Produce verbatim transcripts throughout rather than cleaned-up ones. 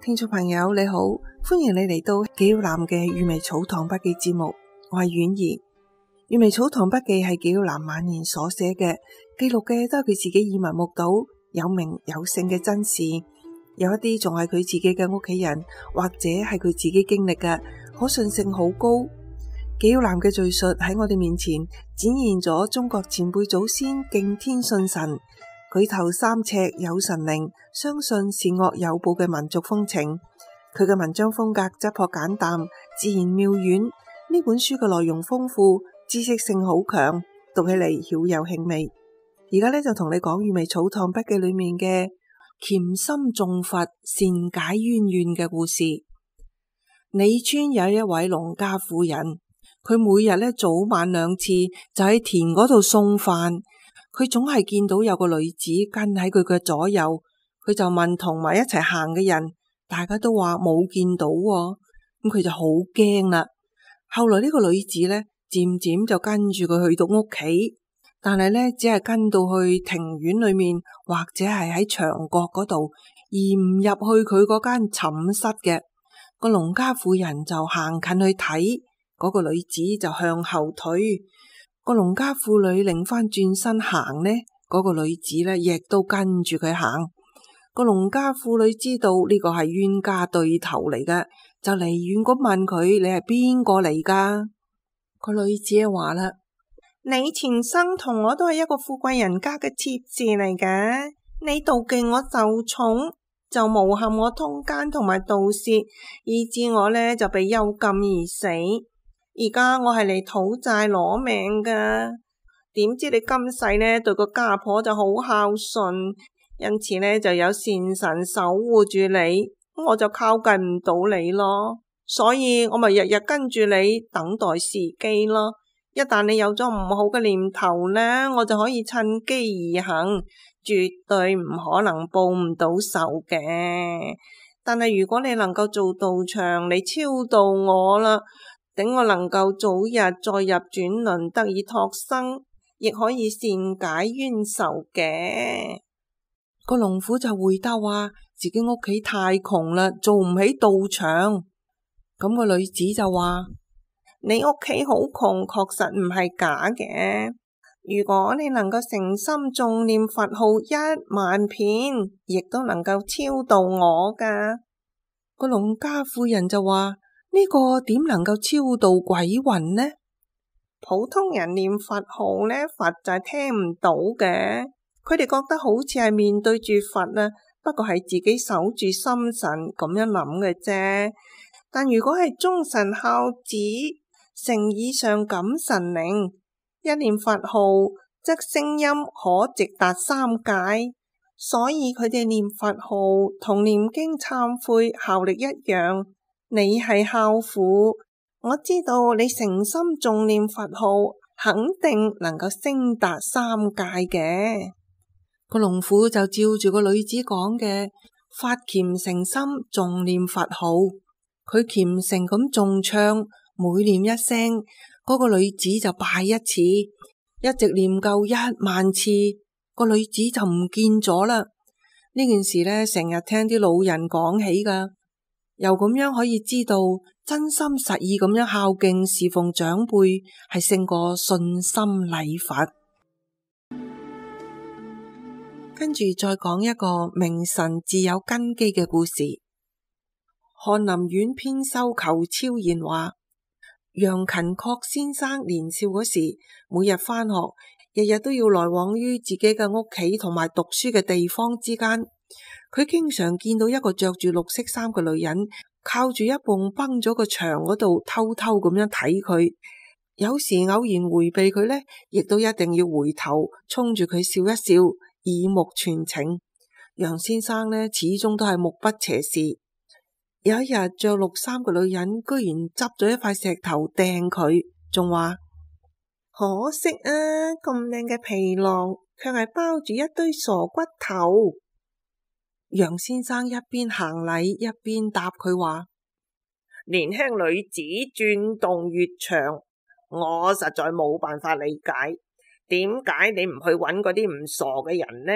聽眾朋友你好，歡迎你嚟到紀曉嵐嘅閱微草堂筆記節目，我係婉兒。閱微草堂筆記係紀曉嵐晚年所寫嘅，記錄嘅都係佢自己耳聞目睹有名有姓嘅真事，有一啲仲係佢自己嘅屋企人或者係佢自己經歷嘅，可信性好高。紀曉嵐嘅敘述喺我哋面前展現咗中國前輩祖先敬天信神，舉頭三尺有神靈，相信善惡有報嘅民族風情。佢嘅文章風格質樸簡淡，自然妙遠。呢本書嘅內容豐富，知識性好強，讀起嚟曉有興味。而家呢，就同你講閱微草堂筆記裏面嘅潛心誦佛善解冤怨嘅故事。李村有一位農家婦人，佢每日呢早晚兩次就喺田嗰度送飯。佢總係見到有個女子跟喺佢嘅左右，佢就問同埋一齊行嘅人，大家都話冇見到喎，咁佢就好驚啦。後來呢個女子呢，漸漸就跟住佢去到屋企，但係呢，只係跟到去庭院裏面或者係喺牆角嗰度，而唔入去佢嗰間寢室嘅。個農家婦人就行近去睇，嗰個女子就向後退。個農家婦女擰翻轉身行呢，嗰個女子呢亦都跟住佢行。個農家婦女知道呢個係冤家對頭嚟嘅，就離遠咁問佢：你係邊個嚟噶？個女子話啦：你前生同我都係一個富貴人家嘅妾侍嚟嘅，你妒忌我受寵，就誣陷我通姦同埋盜竊，以致我呢就被幽禁而死。而家我係嚟討債攞命噶，點知你今世呢對個家婆就好孝順，因此呢就有善神守護住你，我就靠近唔到你咯。所以我咪日日跟住你等待時機咯。一旦你有咗唔好嘅念頭呢，我就可以趁機而行，絕對唔可能報唔到仇嘅。但係如果你能夠做道場，你超度我啦，等我能夠早日再入轉輪得以托生，亦可以善解冤仇嘅。個農婦就回答話自己屋企太窮啦，做唔起道場。咁個女子就話：你屋企好窮，確實唔係假嘅。如果你能夠誠心誦念佛號一萬遍，亦都能夠超度我噶。個農家婦人就話：呢個點能夠超度鬼魂呢？普通人念佛號呢，佛就係聽唔到嘅。佢哋覺得好似係面對住佛啊，不過係自己守住心神咁樣諗嘅啫。但如果係忠臣孝子、誠意上感神靈，一念佛號則聲音可直達三界，所以佢哋念佛號同念經懺悔效力一樣。你係孝婦，我知道你誠心誦念佛號，肯定能夠升達三界嘅。個農婦就照住個女子講嘅，發虔誠心誦念佛號。佢虔誠咁誦唱，每念一聲，嗰個女子就拜一次，一直念夠一萬次，個女子就唔見咗啦。呢件事呢，成日聽啲老人講起噶。又咁樣可以知道，真心實意咁樣孝敬侍奉長輩，係勝過信心禮佛。跟住再講一個明神自有根基嘅故事。翰林院編修裘超然話，楊勤確先生年少嗰時，每日返學，日日都要來往於自己嘅屋企同埋讀書嘅地方之間。佢經常見到一個着住綠色衫嘅女人，靠住一埲崩咗個牆嗰度偷偷咁樣睇佢。有時偶然回避佢呢，亦都一定要回頭衝住佢笑一笑，耳目傳情。楊先生呢，始終都係目不斜視。有一日，着綠衫嘅女人居然執咗一塊石頭掟佢，仲話：可惜啊，咁靚嘅皮囊，卻係包住一堆傻骨頭。楊先生一邊行禮一邊答佢話：年輕女子轉動越長，我實在冇辦法理解，點解你唔去揾嗰啲唔傻嘅人呢？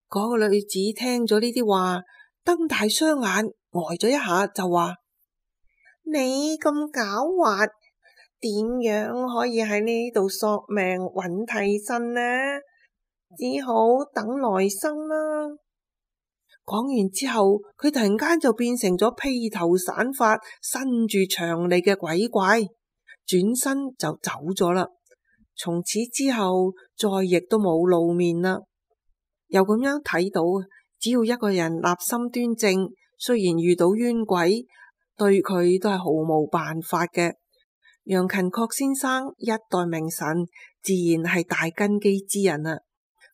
嗰個女子聽咗呢啲話，瞪大雙眼，呆咗一下就話：你咁狡猾，點樣可以喺呢度索命揾替身呢？只好等來生啦。講完之後，佢突然間就變成咗披頭散髮、伸住長脷嘅鬼怪，轉身就走咗啦。從此之後，再亦都冇露面啦。又咁樣睇到，只要一個人立心端正，雖然遇到冤鬼，對佢都係毫無辦法嘅。楊勤確先生一代名臣，自然係大根基之人啦。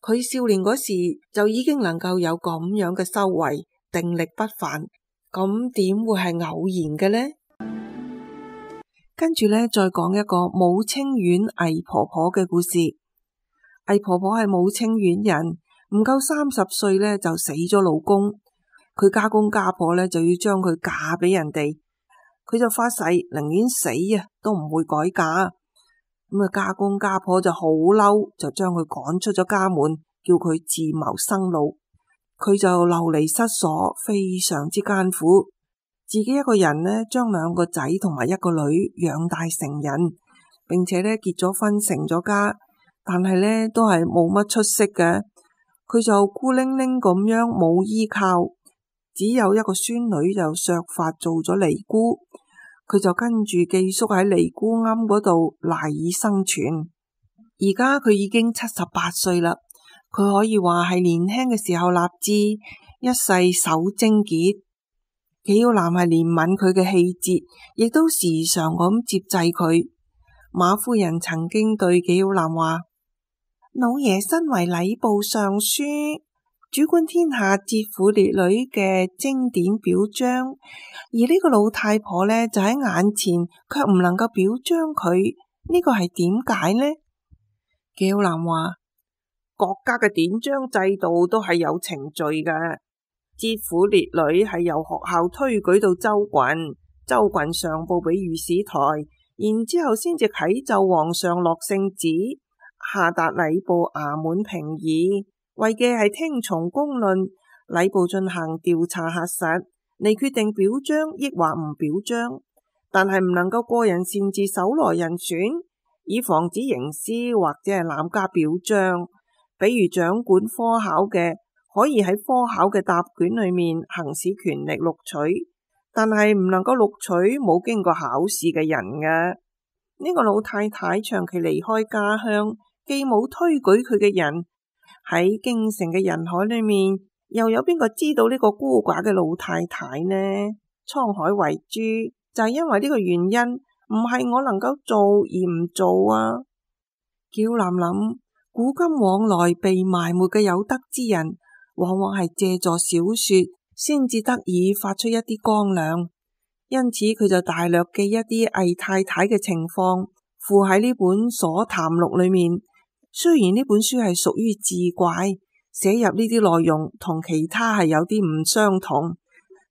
佢少年嗰時就已經能夠有咁樣嘅修為，定力不凡，咁點會係偶然嘅呢？跟住呢，再講一個武清縣魏婆婆嘅故事。魏婆婆係武清縣人，唔夠三十歲呢就死咗老公，佢家公家婆呢就要將佢嫁俾人哋，佢就發誓寧願死啊都唔會改嫁。咁啊，家公家婆就好嬲，就將佢趕出咗家門，叫佢自謀生路。佢就流離失所，非常之艱苦。自己一個人呢，將兩個仔同埋一個女養大成人，並且呢結咗婚成咗家，但係呢都係冇乜出息嘅。佢就孤零零咁樣冇依靠，只有一個孫女就削髮做咗尼姑，佢就跟住寄宿喺尼姑庵嗰度賴以生存。而家佢已經七十八歲啦，佢可以話係年輕嘅時候立志，一世守貞潔。紀曉嵐係憐憫佢嘅氣節，亦都時常咁接濟佢。馬夫人曾經對紀曉嵐話：老爺身為禮部尚書，主管天下節婦烈女嘅經典表彰，而呢個老太婆呢，就喺眼前，卻唔能夠表彰佢，呢個係點解呢？紀曉嵐話：國家嘅典章制度都係有程序嘅。節婦烈女係由學校推舉到州郡，州郡上報俾御史台，然之後先至啟奏皇上落聖旨，下達禮部衙門評議，為嘅係聽從公論，禮部進行調查核實，嚟決定表彰抑或唔表彰，但係唔能夠個人擅自搜羅人選，以防止刑私或者係濫加表彰。比如掌管科考嘅，可以喺科考嘅答卷裏面行使權力錄取，但係唔能夠錄取冇經過考試嘅人嘅。呢、這個老太太長期離開家鄉，既冇推舉佢嘅人，喺京城嘅人海裏面，又有邊個知道呢個孤寡嘅老太太呢？滄海遺珠，就係、是、因為呢個原因，唔係我能夠做而唔做啊。紀曉嵐諗，古今往來被埋沒嘅有德之人，往往係借助小說先至得以發出一啲光亮，因此佢就大略記一啲魏太太嘅情況，附喺呢本所談錄裏面。雖然呢本書係屬於志怪，寫入呢啲內容同其他係有啲唔相同，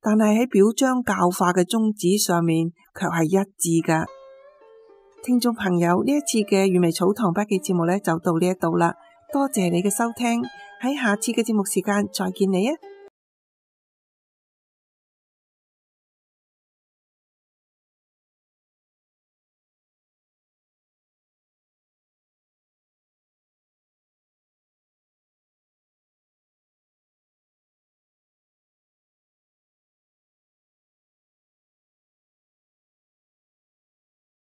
但係喺表彰教化嘅宗旨上面卻係一致噶。聽眾朋友，呢一次嘅粵微草堂筆記節目呢就到呢一度啦，多謝你嘅收聽，喺下次嘅節目時間再見你啊！